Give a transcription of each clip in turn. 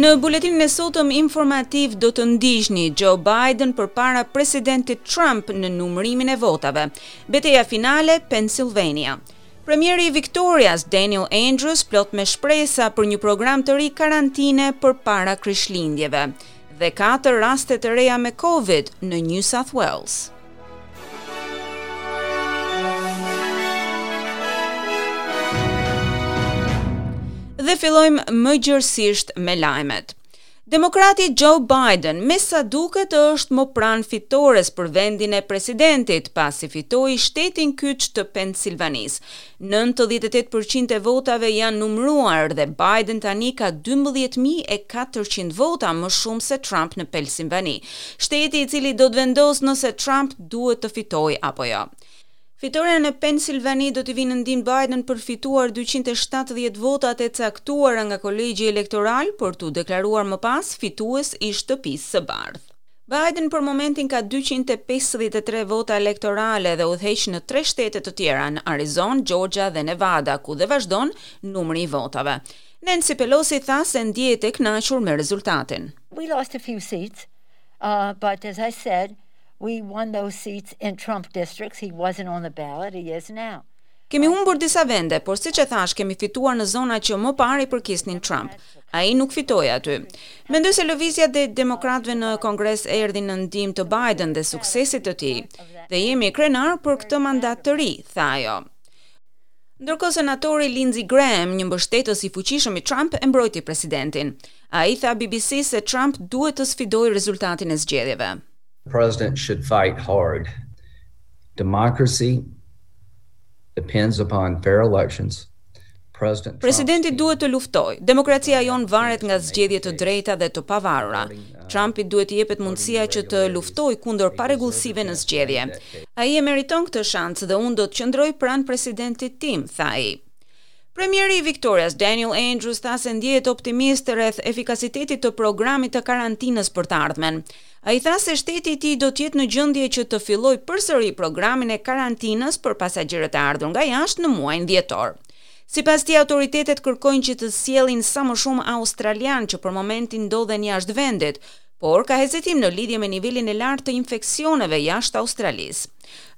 Në buletinin e sotëm informativ do të ndiqni Joe Biden përpara presidentit Trump në numërimin e votave. Beteja finale Pennsylvania. Premieri i Victorias, Daniel Andrews, plot me shpresa për një program të ri karantine përpara Krishtlindjeve. Dhe katër raste të reja me Covid në New South Wales. Dhe fillojmë më gjerësisht me lajmet. Demokrati Joe Biden me sa duket është më pranë fitores për vendin e presidentit, pasi fitoi shtetin kyç të Pensilvanisë. 98% e votave janë numëruar dhe Biden tani ka 12.400 vota më shumë se Trump në Pensilvani, shteti i cili do të vendosë nëse Trump duhet të fitojë apo jo. Fitorja në Pensilvani do t'i vijë në ndihmë Biden për të fituar 270 votat e caktuara nga kolegji elektoral për t'u deklaruar më pas fitues i shtëpisë së bardhë. Biden për momentin ka 253 vota elektorale dhe udhëheq në tre shtete të tjera, në Arizona, Georgia dhe Nevada, ku dhe vazhdon numri i votave. Nancy Pelosi tha se ndjehet e kënaqur me rezultatin. We lost a few seats, uh, but as I said, We won those seats in Trump districts. He wasn't on the ballot, he is now. Kemi humbur disa vende, por siç e thash, kemi fituar në zona që më parë i përkisnin Trump. Ai nuk fitoi aty. Mendoj se lëvizja e demokratëve në Kongres erdhi në ndihmë të Biden dhe suksesit të tij. Dhe jemi krenar për këtë mandat të ri, tha ajo. Ndërkohë senatori Lindsey Graham, një mbështetës i fuqishëm i Trump, e mbrojti presidentin. Ai tha BBC se Trump duhet të sfidojë rezultatin e zgjedhjeve. The president should fight hard. Democracy depends upon fair elections. President Presidenti duhet të luftojë. Demokracia jonë varet nga zgjedhje të drejta dhe të pavarura. Trumpit duhet t'i jepet mundësia që të luftojë kundër parregullsive në zgjedhje. Ai e meriton këtë shans dhe unë do të qëndroj pranë presidentit tim, tha ai. Premieri i Victorias, Daniel Andrews, tha se ndjehet optimist rreth efikasitetit të programit të karantinës për të ardhmen. Ai tha se shteti i tij do të jetë në gjendje që të fillojë përsëri programin e karantinës për pasagjerët e ardhur nga jashtë në muajin dhjetor. Sipas tij, autoritetet kërkojnë që të sjellin sa më shumë australianë që për momentin ndodhen jashtë vendit, por ka hezitim në lidhje me nivelin e lartë të infeksioneve jashtë Australisë.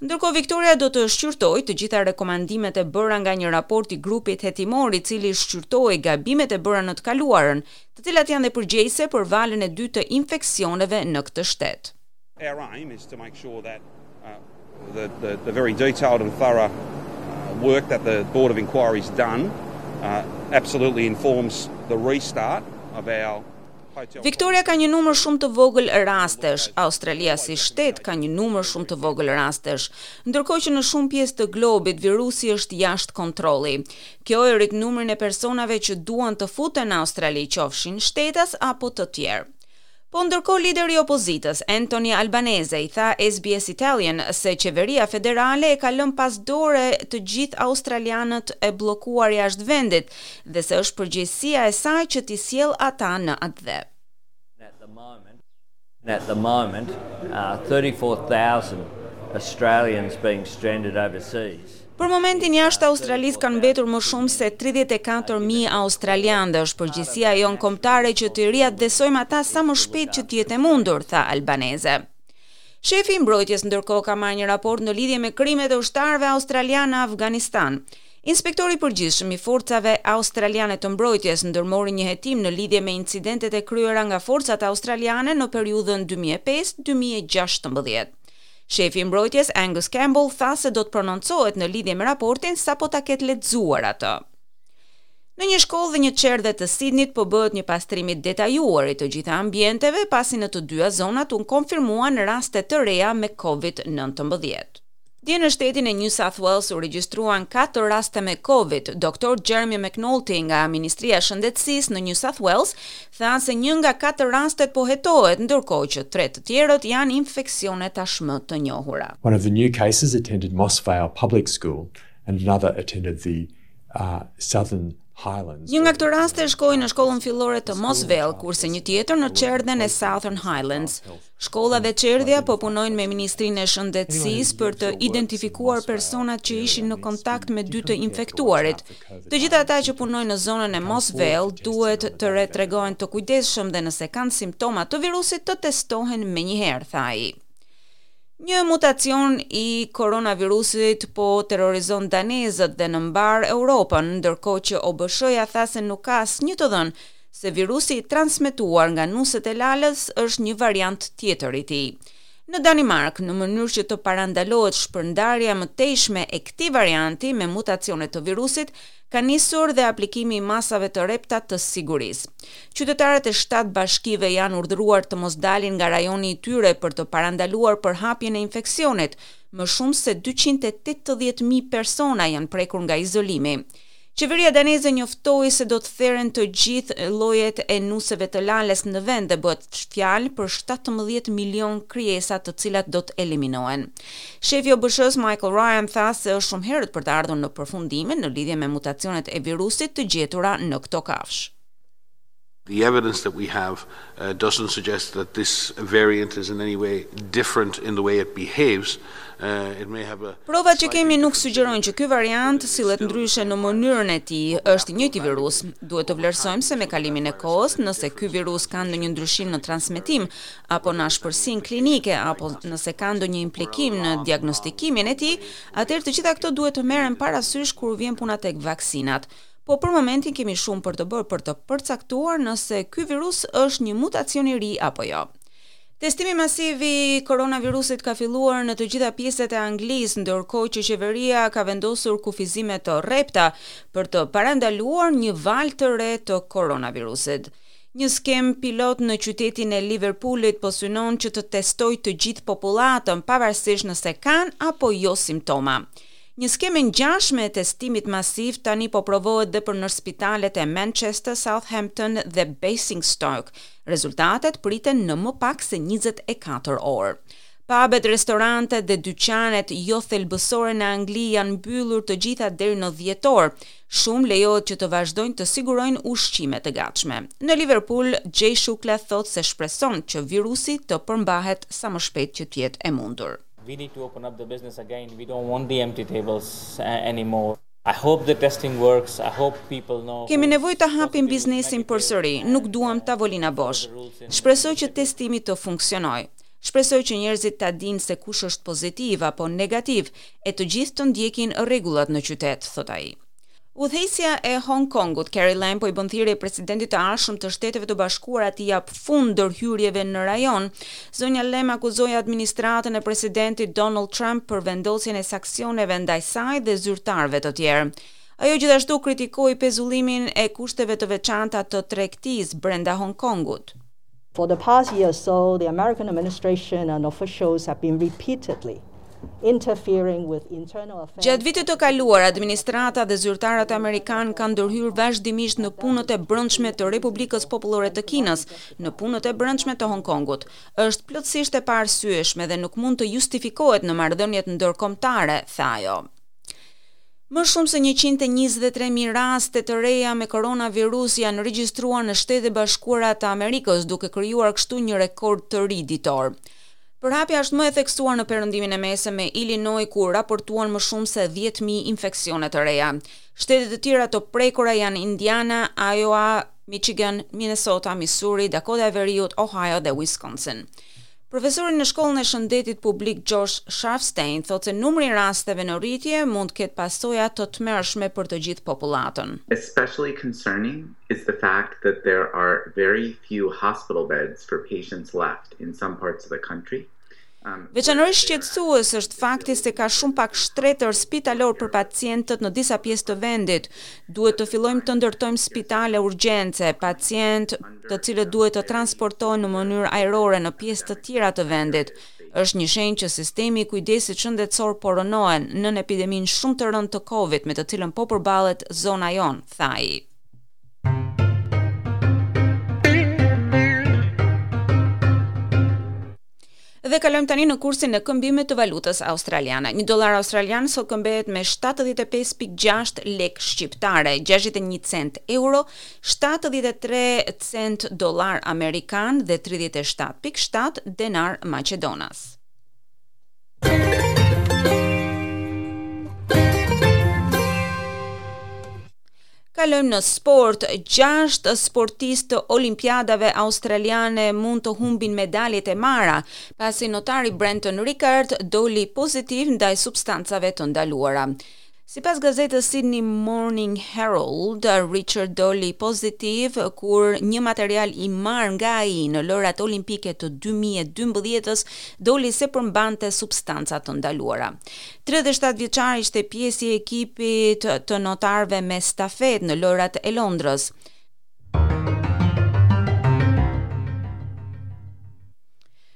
Ndërkohë Victoria do të shqyrtojë të gjitha rekomandimet e bëra nga një raport i grupit hetimor i cili shqyrtoi gabimet e bëra në të kaluarën, të cilat janë dhe përgjegjëse për valën e dytë të infeksioneve në këtë shtet. Our aim is to make sure that uh, the, the, the very detailed and thorough uh, work that the Board of Inquiry's done uh, absolutely informs the restart of our Victoria ka një numër shumë të vogël rastesh, Australia si shtet ka një numër shumë të vogël rastesh, ndërkohë që në shumë pjesë të globit virusi është jashtë kontrolli. Kjo e rrit numrin e personave që duan të futen në Australi, qofshin shtetas apo të tjerë. Po ndërkohë lideri i opozitës, Anthony Albanese, i tha SBS Italian se qeveria federale e ka lënë pas dore të gjithë australianët e bllokuar jashtë vendit dhe se është përgjegjësia e saj që t'i sjell ata në atdhe. At the moment, at the moment, uh, 34,000 Australians being stranded overseas. Për momentin jashtë Australisë kanë mbetur më shumë se 34.000 australianë dhe është përgjegjësia jonë kombëtare që të riatdhesojmë ata sa më shpejt që të jetë e mundur, tha Albanese. Shefi i mbrojtjes ndërkohë ka marrë një raport në lidhje me krimet e ushtarëve australianë në Afganistan. Inspektori i përgjithshëm i forcave australiane të mbrojtjes ndërmori një hetim në lidhje me incidentet e kryera nga forcat australiane në periudhën 2005-2016. Shefi i mbrojtjes Angus Campbell tha se do të prononcohet në lidhje me raportin sapo ta ketë lexuar atë. Në një shkollë dhe një çerdhe të Sydneyt po bëhet një pastrim i detajuar i të gjitha ambienteve, pasi në të dyja zonat u konfirmuan raste të reja me COVID-19. Dje në shtetin e New South Wales u regjistruan 4 raste me COVID. Dr. Jeremy McNulty nga Ministria e Shëndetësisë në New South Wales tha se një nga katër rastet po hetohet, ndërkohë që tre të tjerët janë infeksione tashmë të njohura. One of the new cases attended Moss Vale Public School and another attended the uh, Southern. Highlands. Një nga këto raste shkoi në shkollën fillore të Moss Vale, kurse një tjetër në çerdhen e Southern Highlands. Shkolla dhe çerdhja po punojnë me Ministrinë e Shëndetësisë për të identifikuar personat që ishin në kontakt me dy të infektuarit. Të gjithë ata që punojnë në zonën e Moss Vale duhet të tregohen të kujdesshëm dhe nëse kanë simptoma të virusit të testohen menjëherë, tha ai. Një mutacion i koronavirusit po terrorizon danezët dhe në mbarë Europën, ndërkohë që OBSH-ja tha se nuk ka asnjë të dhënë se virusi i transmetuar nga nuset e lalës është një variant tjetër i tij. Në Danimarkë, në mënyrë që të parandalohet shpërndarja e mëtejshme e këtij varianti me mutacione të virusit, ka nisur dhe aplikimi i masave të rrepta të sigurisë. Qytetarët e shtatë bashkive janë urdhëruar të mos dalin nga rajoni i tyre për të parandaluar përhapjen e infeksionit. Më shumë se 280.000 persona janë prekur nga izolimi. Qeveria daneze njoftoi se do të theren të gjithë llojet e nuseve të lalës në vend dhe bëhet fjalë për 17 milion krijesa të cilat do të eliminohen. Shefi i OBSH-së Michael Ryan tha se është shumë herët për të ardhur në përfundime në lidhje me mutacionet e virusit të gjetura në këto kafshë. The evidence that we have uh, doesn't suggest that this variant is in any way different in the way it behaves. Uh, it may have a Provat që kemi nuk sugjerojnë që ky variant sillet ndryshe në mënyrën e tij, është i njëjti virus. Duhet të vlerësojmë se me kalimin e kohës, nëse ky virus ka ndonjë ndryshim në transmetim apo në ashpërsinë klinike apo nëse ka ndonjë implikim në diagnostikimin e tij, atëherë të gjitha këto duhet të merren parasysh kur vjen puna tek vaksinat. Po për momentin kemi shumë për të bërë për të përcaktuar nëse ky virus është një mutacion i ri apo jo. Testimi masiv i koronavirusit ka filluar në të gjitha pjesët e Anglisë, ndërkohë që qeveria ka vendosur kufizime të rrepta për të parandaluar një valë të re të koronavirusit. Një skemë pilot në qytetin e Liverpoolit po synon që të testojë të gjithë popullatën, pavarësisht nëse kanë apo jo simptoma. Një skemë e ngjashme e testimit masiv tani po provohet dhe për në spitalet e Manchester, Southampton dhe Basingstoke. Rezultatet priten në më pak se 24 orë. Pubet, restorantet dhe dyqanet jo thelbësore në Angli janë mbyllur të gjitha deri në dhjetor. Shumë lejohet që të vazhdojnë të sigurojnë ushqime të gatshme. Në Liverpool, Jay Shukla thotë se shpreson që virusi të përmbahet sa më shpejt që të jetë e mundur. We need to open up the business again. We don't want the empty tables anymore. I hope the testing works. I hope people know. Kemi nevojë të hapim biznesin përsëri, nuk duam tavolina bosh. Shpresoj që testimi të funksionojë. Shpresoj që njerëzit ta dinë se kush është pozitiv apo negativ e të gjithë të ndjekin rregullat në qytet, thot ai. Udhëheqësja e Hong Kongut, Carrie Lam, po i bën thirrje presidentit të ardhshëm të Shteteve të Bashkuara të jap fund ndërhyrjeve në rajon. Zonja Lam akuzoi administratën e presidentit Donald Trump për vendosjen e sanksioneve ndaj saj dhe zyrtarëve të tjerë. Ajo gjithashtu kritikoi pezullimin e kushteve të veçanta të tregtisë brenda Hong Kongut. For the past year or so, the American administration and officials have been repeatedly interfering with internal affairs. Gjatë vitit të kaluar, administrata dhe zyrtarët amerikanë kanë ndërhyrë vazhdimisht në punët e brendshme të Republikës Popullore të Kinës, në punët e brendshme të Hong Kongut. Është plotësisht e paarsyeshme dhe nuk mund të justifikohet në marrëdhëniet ndërkombëtare, tha ajo. Më shumë se 123.000 raste të reja me koronavirus janë regjistruar në Shtetet e Bashkuara të Amerikës, duke krijuar kështu një rekord të ri ditor. Përhapja është më e theksuar në perëndimin e mesëm me Illinois ku raportuan më shumë se 10.000 infeksione të reja. Shtetet e tjera të prekura janë Indiana, Iowa, Michigan, Minnesota, Missouri, Dakota e Veriut, Ohio dhe Wisconsin. Profesori në shkollën e shëndetit publik Josh Sharfstein thotë se numri i rasteve në rritje mund të ketë pasoja të tmerrshme për të gjithë popullatën. Especially concerning is the fact that there are very few hospital beds for patients left in some parts of the country. Veçanërisht shqetësues është fakti se ka shumë pak shtretër spitalor për pacientët në disa pjesë të vendit. Duhet të fillojmë të ndërtojmë spitale urgjence, pacientë të cilët duhet të transportohen në mënyrë ajrore në pjesë të tjera të vendit. Është një shenjë që sistemi i kujdesit shëndetësor po rënohen nën epideminë shumë të rëndë të Covid me të cilën po përballet zona jonë, tha ai. Dhe kalojmë tani në kursin e këmbimit të valutës australiane. Një dollar australian sot këmbehet me 75.6 lek shqiptare, 61 cent euro, 73 cent dollar amerikan dhe 37.7 denar maqedonas. Kalojmë në sport. Gjashtë sportistë të Olimpiadave Australiane mund të humbin medaljet e marra, pasi notari Brenton Rickard doli pozitiv ndaj substancave të ndaluara. Sipas gazetës Sydney Morning Herald, Richard doli pozitiv kur një material i marrë nga ai në Lojërat Olimpike të 2012-s doli se përmbante substanca të ndaluara. 37 vjeçari ishte pjesë e ekipit të notarëve me stafetë në Lojërat e Londrës.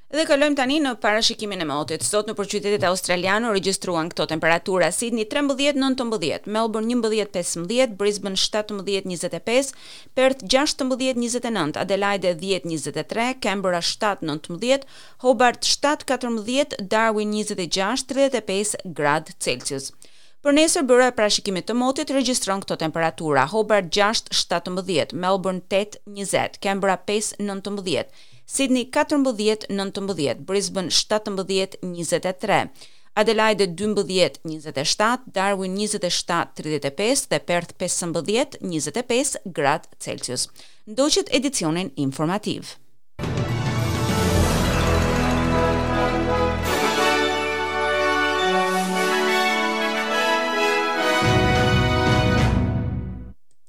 Dhe kalojmë tani në parashikimin e motit. Sot nëpër qytetet australiane u regjistruan këto temperatura: Sydney 13-19, Melbourne 11-15, Brisbane 17-25, Perth 16-29, Adelaide 10-23, Canberra 7-19, Hobart 7-14, Darwin 26-35 gradë Celsius. Për nesër byroja e parashikimit të motit regjistron këto temperatura: Hobart 6-17, Melbourne 8-20, Canberra 5-19, Sydney 14-19, Brisbane 17-23, Adelaide 12-27, Darwin 27-35 dhe Perth 15-25 gradë Celsius. Ndoqët edicionin informativ.